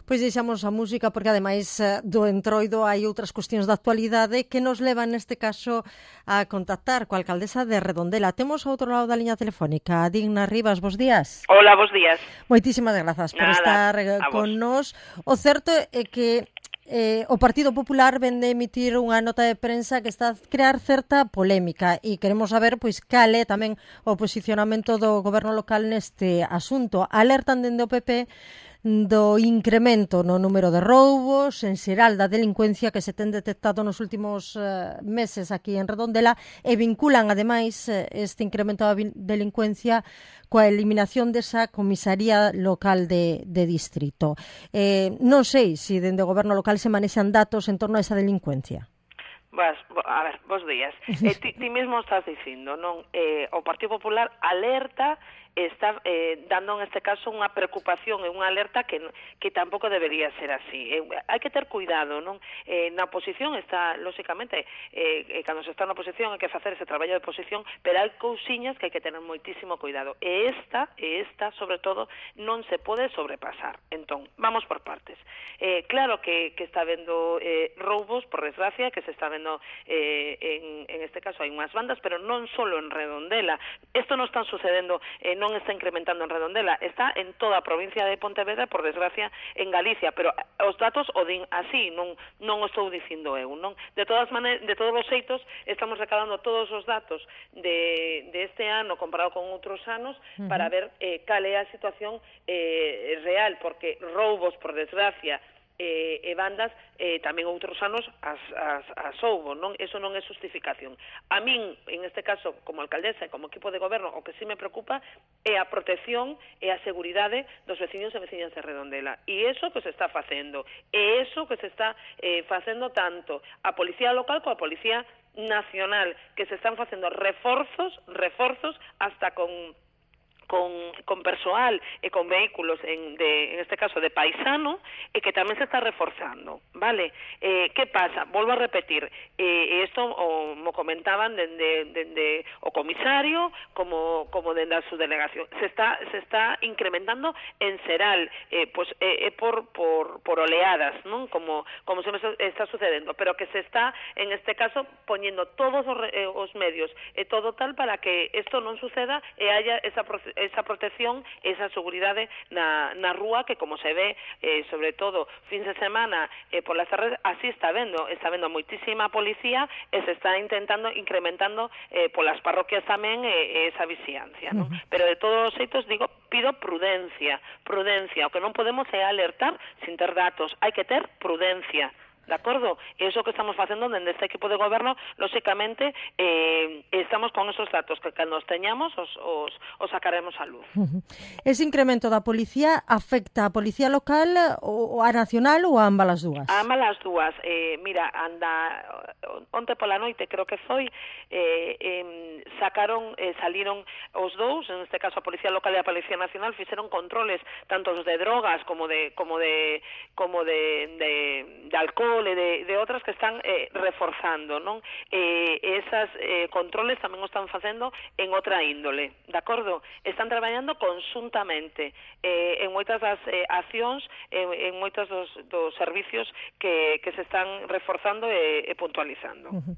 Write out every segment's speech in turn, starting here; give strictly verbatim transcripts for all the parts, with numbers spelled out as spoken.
Pois deixamos a música porque ademais do entroido hai outras cuestións de actualidade que nos levan neste caso a contactar coa alcaldesa de Redondela. Temos ao outro lado da liña telefónica a Digna Rivas, bos días. Hola, bos días. Moitísimas grazas por Nada, estar con nos. O certo é que Eh, o Partido Popular vende emitir unha nota de prensa que está a crear certa polémica e queremos saber pois cal é tamén o posicionamento do goberno local neste asunto. Alertan dende o P P do incremento no número de roubos, en xeral da delincuencia que se ten detectado nos últimos eh, meses aquí en Redondela e vinculan ademais este incremento da delincuencia coa eliminación desa comisaría local de, de distrito. Eh, non sei se dende o goberno local se manexan datos en torno a esa delincuencia. Vas, a ver, bos días. Eh, ti, ti mesmo estás dicindo, non? Eh, o Partido Popular alerta está eh, dando en este caso unha preocupación e unha alerta que que tampouco debería ser así. Eh, hai que ter cuidado, non? Eh, na oposición está, lóxicamente, eh, eh, cando se está na oposición hai que facer ese traballo de oposición, pero hai cousiñas que hai que tener moitísimo cuidado. E esta, e esta, sobre todo, non se pode sobrepasar. Entón, vamos por partes. Eh, claro que, que está vendo eh, roubos, por desgracia, que se está vendo eh, en, en este caso hai unhas bandas, pero non solo en Redondela. Isto non está sucedendo eh, non está incrementando en Redondela, está en toda a provincia de Pontevedra, por desgracia, en Galicia, pero os datos o din así, non non o estou dicindo eu, non? De todas maneiras, de todos os xeitos, estamos recabando todos os datos de, de este ano comparado con outros anos uh -huh. para ver eh, cal é a situación eh, real, porque roubos, por desgracia, E, e bandas, eh, tamén outros anos as, as, as houbo, non? Eso non é justificación. A min, en este caso, como alcaldesa e como equipo de goberno, o que sí me preocupa é a protección e a seguridade dos veciños e veciñas de Redondela. E iso que se está facendo. E iso que se está eh, facendo tanto a Policía Local como a Policía Nacional, que se están facendo reforzos, reforzos hasta con... Con, con persoal e con vehículos en, de, en este caso de paisano e que tamén se está reforzando, vale? Eh, que pasa? Volvo a repetir, eh, isto o, mo comentaban dende, dende o comisario como, como dende a subdelegación, se está, se está incrementando en xeral, eh, pues, eh, eh, por, por, por oleadas, non? Como, como se me está sucedendo, pero que se está, en este caso, poñendo todos os, eh, os medios e eh, todo tal para que isto non suceda e haya esa esa protección, esa seguridade na, na rúa que, como se ve, eh, sobre todo, fins de semana, eh, por las tardes, así está vendo, está vendo moitísima policía e se está intentando, incrementando eh, polas parroquias tamén eh, esa vixiancia, non? Uh -huh. Pero de todos os xeitos, digo, pido prudencia, prudencia, o que non podemos é alertar sin ter datos, hai que ter prudencia. De acordo? E iso que estamos facendo dende este equipo de goberno, lóxicamente, eh, estamos con esos datos que cando os teñamos os, os, os sacaremos a luz. Uh -huh. Ese incremento da policía afecta a policía local ou a nacional ou a ambas as dúas? A ambas as dúas. Eh, mira, anda, onte pola noite, creo que foi, eh, eh, sacaron, eh, saliron os dous, en este caso a Policía Local e a Policía Nacional, fixeron controles tanto os de drogas como de como de como de, de, de alcohol e de, de outras que están eh, reforzando, non? Eh, esas eh, controles tamén o están facendo en outra índole, de acordo? Están traballando conxuntamente eh, en moitas das eh, accións, en, en moitos dos, dos servicios que, que se están reforzando e, e puntualizando. Uh -huh.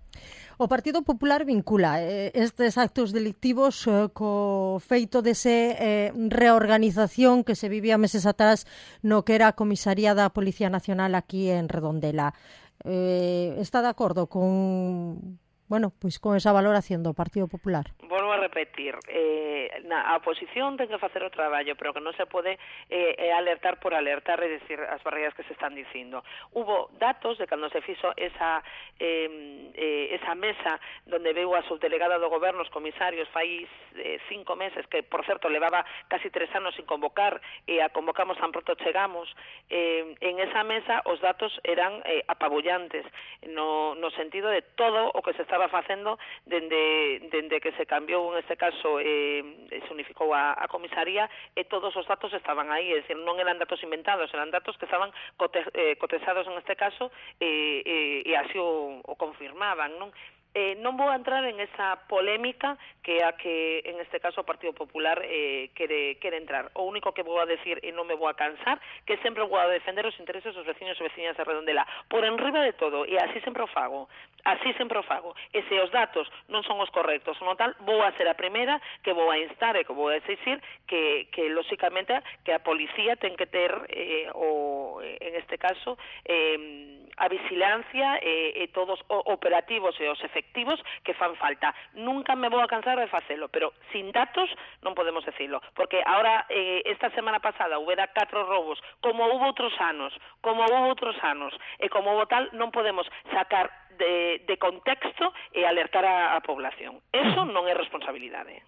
O Partido Popular vincula eh, estes actos delictivos eh, co feito dese eh, reorganización que se vivía meses atrás no que era a comisaría da Policía Nacional aquí en Redondela. Eh, está de acordo con, bueno, pois con esa valoración do Partido Popular? Volvo a repetir, eh, na, a oposición ten que facer o traballo, pero que non se pode eh, eh, alertar por alertar, é dicir, as barreiras que se están dicindo. Hubo datos de cando se fixo esa, eh, eh, esa mesa donde veu a subdelegada do goberno, os comisarios, fai eh, cinco meses, que, por certo, levaba casi tres anos sin convocar, e a convocamos tan pronto chegamos. Eh, en esa mesa os datos eran eh, apabullantes, no, no sentido de todo o que se estaba facendo dende, dende que se cambiou, en este caso, eh, se unificou a, a comisaría, e todos os datos estaban aí, é dicir, non eran datos inventados, eran datos que estaban cote, eh, cotesados en este caso, e, e, e así o, o confirmaban, non? Eh, non vou entrar en esa polémica que a que, en este caso, o Partido Popular eh, quere, quere entrar. O único que vou a decir, e non me vou a cansar, que sempre vou a defender os intereses dos veciños e veciñas de Redondela, por enriba de todo, e así sempre o fago, así sempre o fago. E se os datos non son os correctos, no tal, vou a ser a primeira que vou a instar e que vou a exigir que, que lóxicamente, que a policía ten que ter, eh, o, en este caso, eh, a vigilancia e, e todos os operativos e os efectivos que fan falta. Nunca me vou a cansar de facelo, pero sin datos non podemos decirlo, porque ahora, eh, esta semana pasada, houbera catro robos, como houve outros anos, como houve outros anos, e como houve tal, non podemos sacar de, de contexto e alertar a, a población. Eso non é responsabilidade.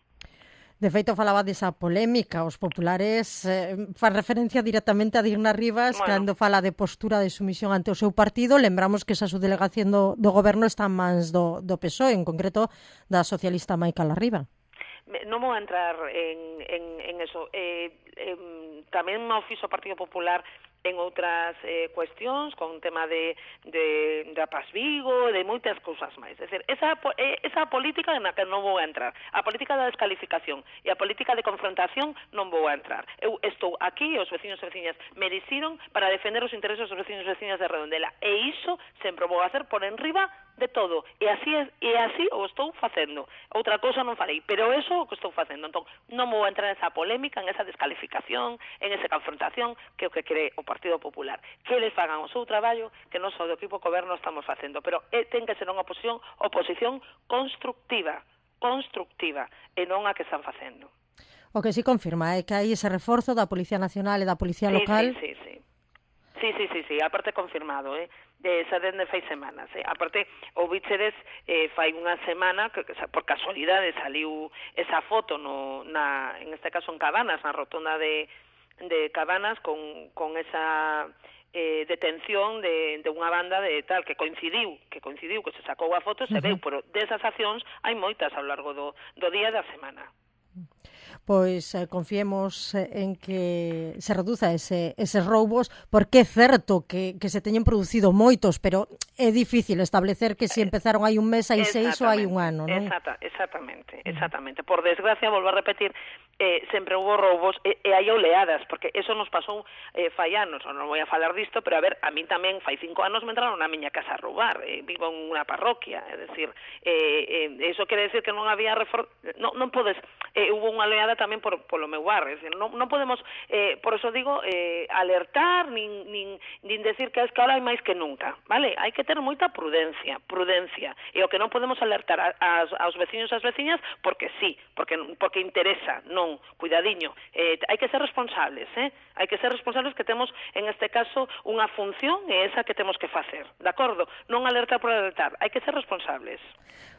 De feito, falaba desa polémica. Os populares eh, fan referencia directamente a Digna Rivas, bueno, cando fala de postura de sumisión ante o seu partido. Lembramos que esa subdelegación do, do goberno está en mans do, do P S O E, en concreto da socialista Maica Larriba. Non vou entrar en, en, en eso. Eh, eh, tamén o fixo o Partido Popular en outras eh, cuestións, con tema de, de, de Paz Vigo, de moitas cousas máis. É dicir, esa, esa política na que non vou a entrar. A política da descalificación e a política de confrontación non vou a entrar. Eu estou aquí e os veciños e veciñas me dixeron para defender os intereses dos veciños e veciñas de Redondela. E iso sempre vou a hacer por enriba de todo. E así, e así o estou facendo. Outra cousa non farei, pero eso é o que estou facendo. Entón, non vou a entrar en esa polémica, en esa descalificación, en esa confrontación, que é o que quere o Partido Popular. Que eles fagan o seu traballo, que non só do equipo goberno estamos facendo, pero é, ten que ser unha oposición, oposición constructiva, constructiva, e non a que están facendo. O que sí confirma é que hai ese reforzo da Policía Nacional e da Policía sí, Local. Sí, sí, sí. Sí, sí, sí, sí, aparte confirmado, eh, de esa dende fai semanas, eh. Aparte, o Vícheres eh, fai unha semana, que, que por casualidade saliu esa foto, no, na, en este caso en Cabanas, na rotonda de, de Cabanas, con, con esa eh, detención de, de unha banda de tal, que coincidiu, que coincidiu, que se sacou a foto, se uh-huh. veu, pero desas accións hai moitas ao largo do, do día e da semana. Pois eh, confiemos en que se reduza ese, eses roubos, porque é certo que, que se teñen producido moitos, pero é difícil establecer que se empezaron hai un mes, hai seis ou hai un ano, non? Exacta, exactamente, exactamente. Por desgracia, volvo a repetir, eh, sempre hubo roubos e, e hai oleadas, porque eso nos pasou eh, fai anos, non vou a falar disto, pero a ver, a min tamén fai cinco anos me entraron na miña casa a roubar, eh, vivo en unha parroquia, é dicir, eh, eh, eso quere decir que non había refor... non, non podes, eh, hubo unha oleada tamén por, polo meu barrio, é dicir, non, non podemos, eh, por eso digo, eh, alertar, nin, nin, nin decir que es que ahora hai máis que nunca, vale? Hai que ter moita prudencia, prudencia, e o que non podemos alertar a, a, aos veciños e as veciñas, porque sí, porque, porque interesa, non, cuidadiño, eh, hai que ser responsables, eh? Hai que ser responsables que temos, en este caso, unha función e esa que temos que facer, de acordo? Non alertar por alertar, hai que ser responsables.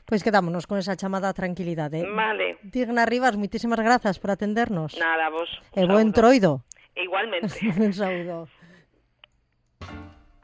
Pois quedámonos con esa chamada tranquilidade. Vale. Digna Rivas, moitísimas grazas por atendernos. Nada, vos. E bo entroido. Igualmente. Un saúdo.